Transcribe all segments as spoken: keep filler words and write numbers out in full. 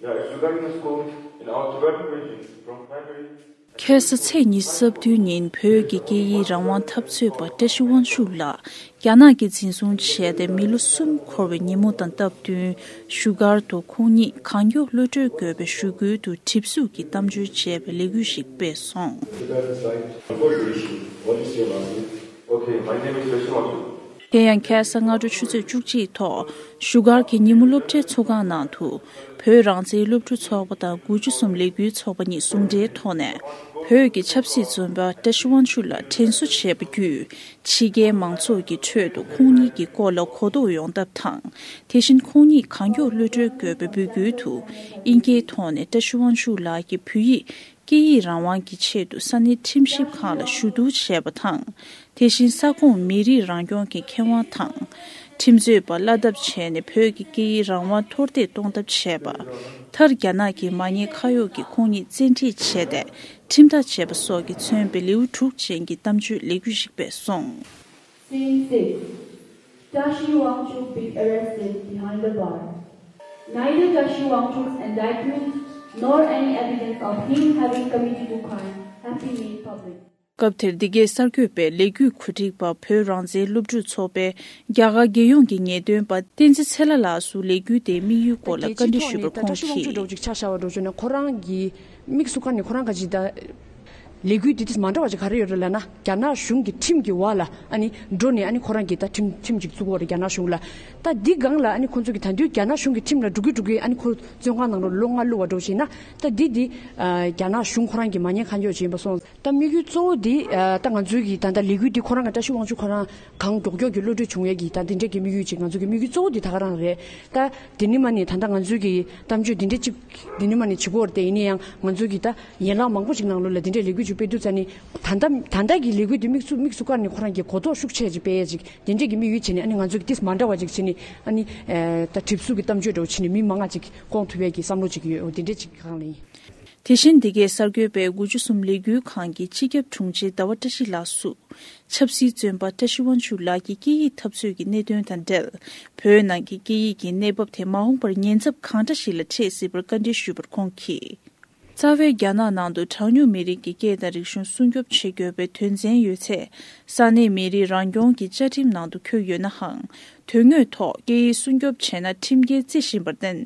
Yeah, it's regarding the school in our Tibetan region, from primary ཁ་སང་ཚེས་ཉི་ཤུ་རྩ་བདུན་ཉིན་བོད་ཀྱི་སྐད་ཡིག་རང་དབང་འཐབ་རྩོད་པ་བཀྲ་ཤིས་དབང་ཕྱུག་ལགས་རྒྱ་ནག་གིས་འཛིན་བཟུང་བྱས་ཏེ་མི་ལོ་གསུམ་འཁོར་བའི་ཉིན་མོ་དང་སྟབས་བསྟུན་བཞུགས་སྒར་དུ་ཁོང་ཉིད་གང་མགྱོགས་གློད་གྲོལ་དགོས་པའི་ཞུ་སྐུལ་དུ་གྲིབ་གཟུགས་ཀྱི་གཏམ་བརྗོད་བྱས་པའི་ལས་འགུལ་ཞིག་སྤེལ་སོང་། What is your last name? Okay, my name is Rashid Wangchuk. དེ་ཡང་ཁ་སང་སྔ་དྲོ་ཆུ་ཚོད་བཅུ་གཅིག་ཐོག་བཞུགས་སྒར་གྱི་ཉིན་མོ་སློབ་གྲྭའི་ཚོགས་ཁང་ནང་དུ་བོད་རང་བཙན་སློབ་ཕྲུག་ཚོགས་པ་དང་དགུ་བཅུ་གསུམ་ལས་འགུལ་ཚོགས་པ་གཉིས་ཟུང་འབྲེལ་ཐོག་ནས་བོད་ཀྱི་ཆབ་སྲིད་བཙོན་པ་བཀྲ་ཤིས་དབང་ཕྱུག་ལགས་དྲན་གསོ་བྱས་པ་བརྒྱུད་ཕྱི་རྒྱལ་མང་ཚོགས་ཀྱི་ཁྲོད་དུ་ཁོང་ཉིད་ཀྱི་སྐོར་ལ་གོ་རྟོགས་ཡོང་ཐབས་དང་། དེ་བཞིན་ཁོང་ཉིད་གང་མགྱོགས་གློད་གྲོལ་དགོས་པའི་འབོད་སྐུལ་དུ་དབྱིན་སྐད་ཐོག་ནས་བཀྲ་ཤིས་དབང་ཕྱུག་ལགས་ཀྱིས་བོད་ཡིག་སྐད་ཡིག་རང་དབང་གི་ཆེད་དུ་ས་གནས་ཁྲིམས་ཞིབ་ཁང་ལ་ཞུ་གཏུག་བྱས་པ་དང་། དེ་བཞིན་ས་ཁོངས་མི་རིགས་རང་སྐྱོང་གི་ཁེ་དབང་དང་། ཁྲིམས་རྩོད་པ་བླ་དབྱེ་བྱས་ནས་བོད་ཀྱི་སྐད་ཡིག་རང་དབང་མཐོར་འདེགས་གཏོང་ཐབས་བྱས་པ། མཐར་རྒྱ་ནག་གི་མ་ཉེས་ཁ་གཡོག་གིས་ཁོང་ཉིད་བཙན་ཁྲིད་བྱས་ཏེ་ཁྲིམས་ཐག་བཅད་པ་སོགས་ཀྱིས་མཚོན་པའི་ལེའུ་དྲུག་ཅན་གྱི་གཏམ་བརྗོད་ལས་འགུལ་ཞིག་སྤེལ་སོང་། Scene six. Tashi Wangchuk being arrested behind the bar. Neither Tashi Wangchuk's indictment nor any evidence of him having committed a crime have been made public. སྐབས་དེར་འདི་གའི་གསར་འགོད་པས་ལས་འགུལ་གོ་སྒྲིག་པ་བོད་རང་བཙན་སློབ་ཕྲུག་ཚོགས་པའི་རྒྱ་གར་རྒྱལ་ཡོངས་ཀྱི་ངེས་སྟོན་པ་བསྟན་འཛིན་ཚེ་ལྷ་ལགས་སུ་ལས་འགུལ་དེའི་དམིགས་ཡུལ་སྐོར་ལ་བཀའ་འདྲི་ཞུས་པར་ཁོང་གིས། ཅིག་ཆ་བཞག་པ་འགྲོ་བྱུང་ན་ཁོ་རང་གི་དམིགས་སུ་བཀར་ནས་ཁོ་རང་ག་ཅིག་ད། ལས་འགུལ་འདི་དེ་མ་འདྲ་བ་ཅིག་ག་རེ་ཡོད་རེད་ལབ་ན། རྒྱ་ནག་གཞུང་གི་ཁྲིམས་ཀྱི་འོག་ལ་ཨ་ནི་འགྲོ་ནས་ཨ་ནི་ཁོ་རང་གིས་ད་ཁྲིམས་ཁྲིམས་ཅིག་བཙུགས་ཡོད་རེད་རྒྱ་ནག་གཞུང་ལ། ད་འདི་སྒང་ལ་ཨ་ནི་ཁོ་ཚོ་གིས་ད་དུང་རྒྱ་ནག་གཞུང་གི་ཁྲིམས་ལ་འགྲོ་གི་འགྲོ་གི་ཨ་ནི་ཁོ་བཙོན་ཁང་ནང་ལ་ལོ་ལྔ་བླུགས་པ་འགྲོ་བྱས་ན། ད་འདི་འདི་རྒྱ་ནག་གཞུང་ཁོ་རང་གི་མ་ཉེས་ཁ་འཇོག་བྱས་ཡིན་པ་སོང་། ད་དམིགས་ཡུལ་གཙོ་བོ་འདི་ད་ང་ཚོའི་གི་ད་ལྟ་ལས་འགུལ་འདི་ཁོ་རང་གི་བཀྲ་ཤིས་དབང་ཕྱུག་ཁོ་རང་གང་མགྱོགས་མགྱོགས་ཀྱི་གློད་གྲོལ་བྱུང་ཡས་ཀྱི་ད་འདི་འདྲས་ཀྱི་དམིགས་ཡུལ་ཅིག་ང་ཚོ་གི་དམིགས་ཡུལ་གཙོ་བོ་འདི་ད་ག་རང་རེད། ད་འདི་ནི་མ་ནི་ད་ལྟ་ང་ཚོའི་གི་གཏམ་བརྗོད་འདི་འདྲས་ཅིག་འདི་ནི་མ་ནི་བྱེད་དགོས་རེད་དེ། ཡིན་ན་ཡང་ང་ཚོའི་གི་ད་ཡན་ལག་མང་པོ་ཅིག་ནང་ལོགས་ལ་འདི་འདྲས་ལས་འགུལ་ཅིག་སྤེལ་དུས་ཙ་ནི་ད་ལྟ་ད་ལྟ་གི་ལས་འགུལ་འདི་དམིགས་སུ་དམིགས་སུ་བཀར་ནས་ཁོ་རང་གི་གོ་རྟོགས་ཤུགས་ཆེ་ཅིག་སྤེལ་ཡས་ཅིག་འདི་འདྲས་ཀྱི་དམིགས་ཡུལ་བྱས་ནས་ཨ་ནི་ང་ཚོ་གི་ཏིས་མ་འདྲ་བ་ཅིག་བྱས་ནས་ཨ་ནི་ད་གྲིབ་གཟུགས་ཀྱི་གཏམ་བརྗོད་འདྲ་བོ་བྱས་ནས་མི་མང་ང་ཅིག་བསྐོང་ཐུབ་ཡས་ཀྱི་བསམ་བློ་ཅིག་ཡོད། འོ་འདི་འདྲས་ཅིག་གི་སྒང་ལ་ཡིན། དེ་བཞིན་འདི་གའི་གསར་འགོད་པས་དགུ་བཅུ་གསུམ་ལས་འགུལ་ཁང་གི་སྤྱི་ཁྱབ་དྲུང་ཆེ་ཟླ་བ་བཀྲ་ཤིས་ལགས་སུ། ཆབ་སྲིད་བཙོན་པ་བཀྲ་ཤིས་དབང་ཕྱུག་ལགས་ཀྱི་སྐད་ཡིག་འཐབ་རྩོད་ཀྱི་གནད་དོན་དང་འབྲེལ། བོད་ནང་གི་སྐད་ཡིག་གི་གནས་བབ་དེ་མ་འོངས་པར་ཉེན་ཚབས་གང་འདྲ་ཞིག་ལ་འཕྲད་སྲིད་པར་བཀའ་འདྲི་ཞུས་པར་ཁོང་གིས། རྩ་བའི་རྒྱ་ནག་ནང་དུ་གྲངས་ཉུང་མི་རིགས་ཀྱི་སྐད་དང་རིག་གཞུང་སྲུང་སྐྱོབ་བྱེད་དགོས་པའི་དོན་ཚན་ཡོད་ཚེ། ས་གནས་མི་རིགས་རང་སྐྱོང་གི་བཅའ་ཁྲིམས་ནང་དུ་འཁོད་ཡོད་ནའང་། དོན་དངོས་ཐོག་སྐད་ཡིག་སྲུང་སྐྱོབ་བྱས་ན་ཁྲིམས་འགལ་བརྩི་བཞིན་པར་བརྟེན།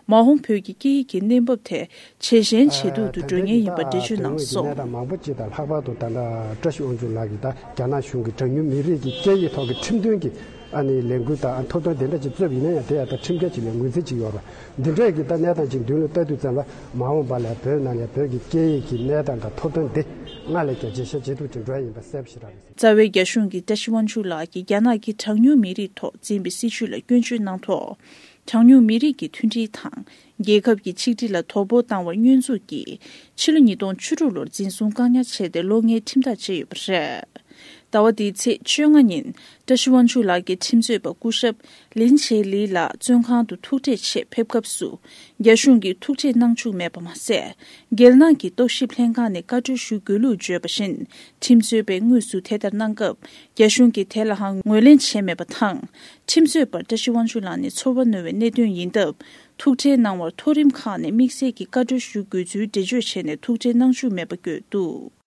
མ་འོངས་བོད་ཀྱི་སྐད་ཡིག་གི་གནས་བབ་དེ་ཇེ་ཞན་ཇེ་སྡུག་ཏུ་འགྲོ་ངེས་ཡིན་པ་འགྲེལ་བརྗོད་གནང་སོང་། ད་ལྟའི་གནས་སྟངས་མང་པོ་ཅིག་དང་ལྷག་པར་དུ་ད་ལྟ་བཀྲ་ཤིས་དབང་ཕྱུག་ལགས་ཀྱིས་ད་རྒྱ་ནག་གཞུང་གི་གྲངས་ཉུང་མི་རིགས་ཀྱི་སྐད་ཡིག་ཐོག་གི་ཁྲིམས་དོན་གྱི་ཨ་ནི་ལས་འགུལ་དང་ཐོབ་ཐང་དེ་འདྲ་ཅིག་བཙུགས་ཡིན་ན་ཡང་དེ་ཡང་ད་ཁྲིམས་འགལ་ཅིག་ལ་ངོས་འཛིན་ཅིག་ཡོད་རེད། འདི་འདྲ་གི་ད་གནས་སྟངས་ཅིག་མདུན་ལ་ལྟ་དུས་ཙམ་པ་མ་འོངས་པ་ལ་བོད་ནང་ལ་བོད་ཀྱི་སྐད་ཡིག་གི་གནས་སྟངས་དང་ཐོབ་ཐང་འདི་སྔར་ལས་ཀྱང་ཇེ་ཞན་ཇེ་སྡུག་ཏུ་འགྲོ་ཡ་ཡིན་པ་གསལ་པོ་ཞེ་དྲག་རེད། རྩ་བའི་རྒྱ་གཞུང་གིས་བཀྲ་ཤིས་དབང་ཕྱུག་ལགས་ཀྱིས་རྒྱ་ནག་གི་གྲངས་ཉུང་མི་རིགས་ཐོག་འཛིན་པའི་སྲིད་བྱུས་ལ་སྐྱོན་བརྗོད་གནང་ཐོག་གྲངས་ཉུང་མི་རིགས་ཀྱི་མཐུན་སྒྲིལ་དང་རྒྱལ་ཁབ་ཀྱི་ཆིག་སྒྲིལ་ལ་དོ་ཕོག་བཏང་བར་བསྙོན་འཛུགས་ཀྱིས་ཕྱི་ལོ་ཉིས་སྟོང་བཅུ་དྲུག་ལོར་འཛིན་བཟུང་བཀག་ཉར་བྱས་ཏེ་ལོ་ལྔའི་ཁྲིམས་ཐག་བཅད་ཡོད་པ་རེད། ཟླ་བ་འདིའི་ཚེས་བཅོ་ལྔ་ཉིན་བཀྲ་ཤིས་དབང་ཕྱུག་ལགས་ཀྱི་ཁྲིམས་རྩོད་པ་སྐུ་ཞབས་ལིན་ཆེ་ལི་ལགས་བཙོན་ཁང་དུ་ཐུག་འཕྲད་ཆེད་ཕེབས་སྐབས་སུ། རྒྱ་གཞུང་གིས་ཐུག་འཕྲད་གནང་བཅུག་མེད་པ་མ་ཟད། རྒྱལ་ནང་གི་རྟོག་ཞིབ་ལྷན་ཁང་ནས་བཀའ་འཁྲོལ་ཞུ་དགོས་ལུགས་བརྗོད་པ་བཞིན། ཁྲིམས་རྩོད་པས་དངོས་སུ་དེ་ལྟར་གནང་སྐབས། རྒྱ་གཞུང་གིས་དེ་ལའང་ངོས་ལེན་བྱས་མེད་པ་དང་། ཁྲིམས་རྩོད་པར་བཀྲ་ཤིས་དབང་ཕྱུག་ལགས་ནི་ཚོར་བ་རྣོ་བའི་གནད་དོན་ཡིན་སྟབས། ཐུག་འཕྲད་གནང་བར་མཐོ་རིམ་ཁག་ནས་དམིགས་བསལ་གྱི་བཀའ་འཁྲོལ་ཞུ་དགོས་ཚུལ་འགྲེལ་བརྗོད་བྱས་ནས་ཐུག་འཕྲད་གནང་བཅུག་མེད་པ་བཀོད་འདུག